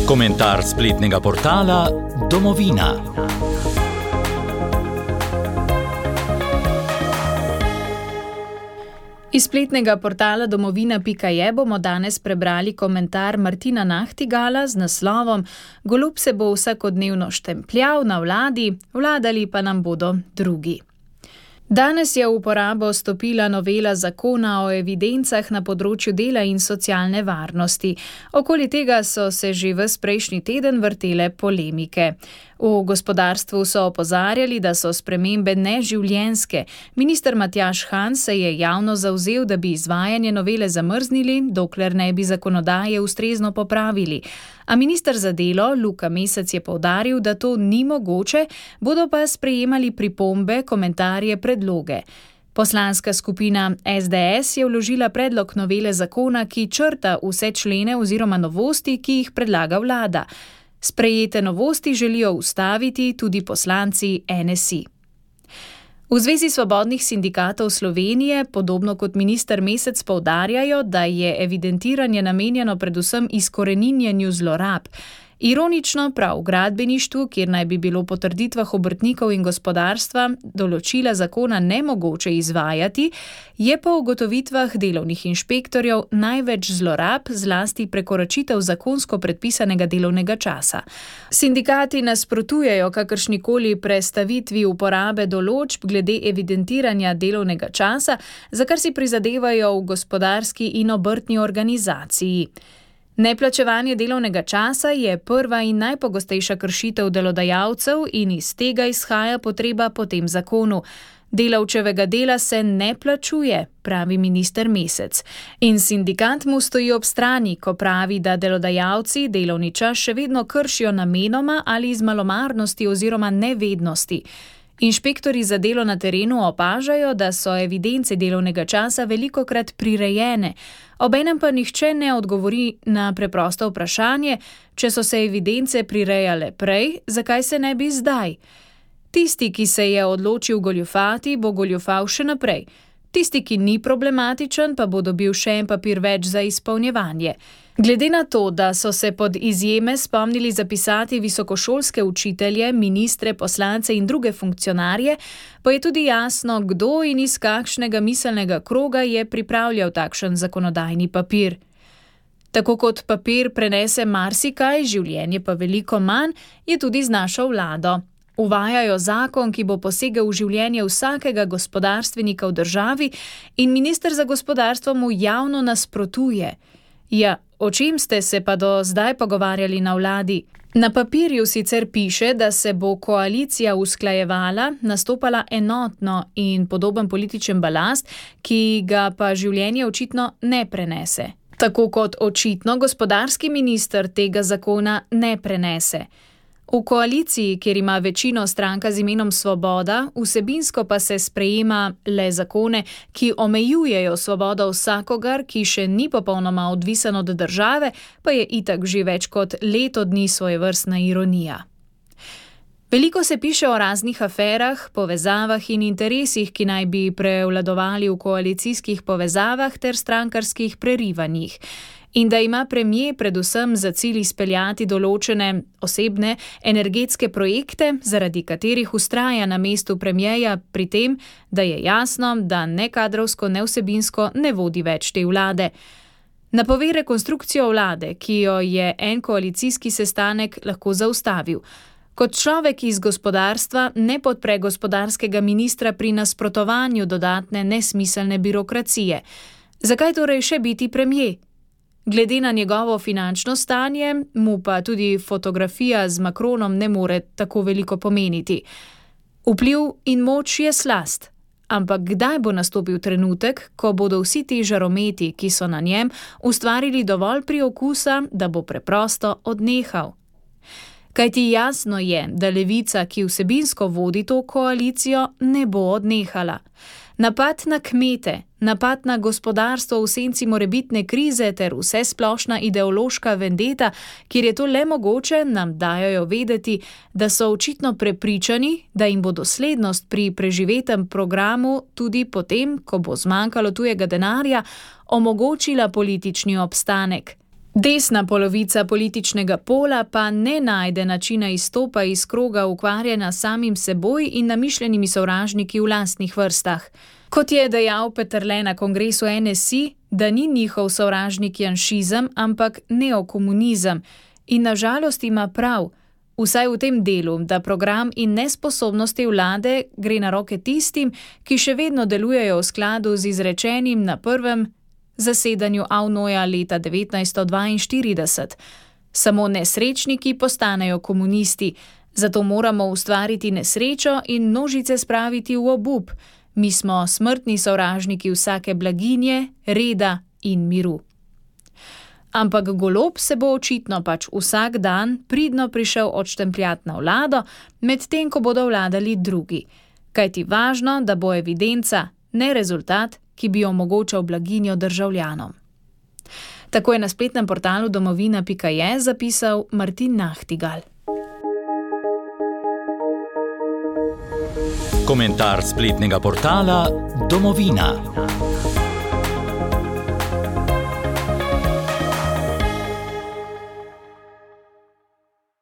Komentar spletnega portala Domovina. Iz spletnega portala domovina.je bomo danes prebrali komentar Martina Nahtigala z naslovom Golob se bo vsakodnevno štempljal na vladi, vladali pa nam bodo drugi. Danes je v uporabo stopila novela zakona o evidencah na področju dela in socialne varnosti. Okoli tega so se že ves prejšnji teden vrtele polemike. V gospodarstvu so opozarjali, da so spremembe neživljenjske. Minister Matjaž Han se je javno zavzel, da bi izvajanje novele zamrznili, dokler ne bi zakonodaje ustrezno popravili. A minister za delo Luka Mesec je poudaril, da to ni mogoče, bodo pa sprejemali pripombe, komentarje, predloge. Poslanska skupina SDS je vložila predlog novele zakona, ki črta vse člene oziroma novosti, ki jih predlaga vlada. Sprejete novosti želijo ustaviti tudi poslanci NSI. V Zvezi svobodnih sindikatov Slovenije, podobno kot minister Mesec, poudarjajo, da je evidentiranje namenjeno predvsem izkoreninjenju zlorab. Ironično, prav v gradbeništvu, kjer naj bi bilo po trditvah obrtnikov in gospodarstva določila zakona nemogoče izvajati, je po ugotovitvah delovnih inšpektorjev največ zlorab, zlasti prekoračitev zakonsko predpisanega delovnega časa. Sindikati nasprotujejo kakršnikoli prestavitvi uporabe določb glede evidentiranja delovnega časa, za kar si prizadevajo v gospodarski in obrtni organizaciji. Neplačevanje delovnega časa je prva in najpogostejša kršitev delodajalcev in iz tega izhaja potreba po tem zakonu. Delavčevega dela se ne plačuje, pravi minister Mesec. In sindikat mu stoji ob strani, ko pravi, da delodajalci delovni čas še vedno kršijo namenoma ali iz malomarnosti oziroma nevednosti. Inšpektorji za delo na terenu opažajo, da so evidence delovnega časa velikokrat prirejene. Obenem pa nihče ne odgovori na preprosto vprašanje, če so se evidence prirejale prej, zakaj se ne bi zdaj? Tisti, ki se je odločil goljufati, bo goljufal še naprej. Tisti, ki ni problematičen, pa bo dobil še en papir več za izpolnjevanje. Glede na to, da so se pod izjeme spomnili zapisati visokošolske učitelje, ministre, poslance in druge funkcionarje, pa je tudi jasno, kdo in iz kakšnega miselnega kroga je pripravljal takšen zakonodajni papir. Tako kot papir prenese marsikaj, življenje pa veliko manj, je tudi z našo vlado. Uvajajo zakon, ki bo posegel v življenje vsakega gospodarstvenika v državi in minister za gospodarstvo mu javno nasprotuje. Ja, o čem ste se pa do zdaj pogovarjali na vladi? Na papirju sicer piše, da se bo koalicija usklajevala, nastopala enotno in podoben političen balast, ki ga pa življenje očitno ne prenese. Tako kot očitno gospodarski minister tega zakona ne prenese. V koaliciji, kjer ima večino stranka z imenom Svoboda, vsebinsko pa se sprejema le zakone, ki omejujejo svobodo vsakogar, ki še ni popolnoma odvisen od države, pa je itak že več kot leto dni svojevrstna ironija. Veliko se piše o raznih aferah, povezavah in interesih, ki naj bi prevladovali v koalicijskih povezavah ter strankarskih prerivanjih. In da ima premier predvsem za cilj izpeljati določene osebne energetske projekte, zaradi katerih vztraja na mestu premierja pri tem, da je jasno, da ne kadrovsko, ne vsebinsko ne vodi več te vlade. Napove rekonstrukcijo vlade, ki jo je en koalicijski sestanek lahko zaustavil. Kot človek iz gospodarstva ne podpre gospodarskega ministra pri nasprotovanju dodatne nesmiselne birokracije. Zakaj torej še biti premier? Glede na njegovo finančno stanje, mu pa tudi fotografija z Macronom ne more tako veliko pomeniti. Vpliv in moč je slast, ampak kdaj bo nastopil trenutek, ko bodo vsi ti žarometi, ki so na njem, ustvarili dovolj priokusa, da bo preprosto odnehal? Kajti jasno je, da Levica, ki vsebinsko vodi to koalicijo, ne bo odnehala. Napad na kmete, napad na gospodarstvo v senci morebitne krize ter vsesplošna ideološka vendeta, kjer je to le mogoče, nam dajo vedeti, da so očitno prepričani, da jim bo doslednost pri preživetem programu tudi potem, ko bo zmanjkalo tujega denarja, omogočila politični obstanek. Desna polovica političnega pola pa ne najde načina izstopa iz kroga ukvarjanja samim seboj in namišljenimi sovražniki v lastnih vrstah. Kot je dejal Peterle na kongresu NSI, da ni njihov sovražnik janšizem, ampak neokomunizem. In na žalost ima prav, vsaj v tem delu, da program in nesposobnosti vlade gre na roke tistim, ki še vedno delujejo v skladu z izrečenim na prvem zasedanju AVNOJ-a leta 1942. Samo nesrečniki postanejo komunisti, zato moramo ustvariti nesrečo in množice spraviti v obup. Mi smo smrtni sovražniki vsake blaginje, reda in miru. Ampak Golob se bo očitno pač vsak dan pridno prišel odštempljati na vlado, medtem ko bodo vladali drugi. Kajti važno, da bo evidenca, ne rezultat, ki bi omogočal blaginjo državljanom. Tako je na spletnem portalu domovina.je zapisal Martin Nachtigal. Komentar spletnega portala Domovina.